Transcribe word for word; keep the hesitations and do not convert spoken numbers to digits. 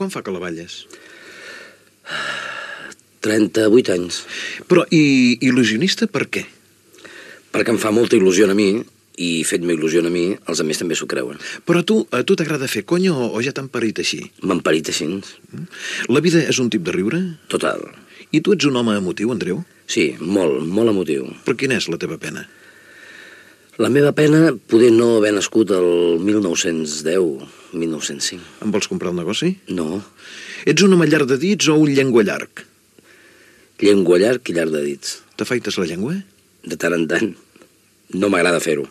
Quan fa que la balles? trenta-vuit anys. Però, i il·lusionista per què? Perquè em fa molta il·lusió a mi, i fet-me il·lusió a mi, els altres també s'ho creuen. Però a tu, a tu t'agrada fer conya o, o ja t'han parit així? M'han parit així. La vida és un tip de riure? Total. I tu ets un home emotiu, Andreu? Sí, molt, molt emotiu. Però quina és la teva pena? La meva pena poder no haver nascut el mil nou-cents deu, mil nou-cents cinc. Em vols comprar el negoci? No. Ets un home llarg de dits o un llengua llarg? Llengua llarg i llarg de dits. T'afaites la llengua? De tant en tant. No m'agrada fer-ho.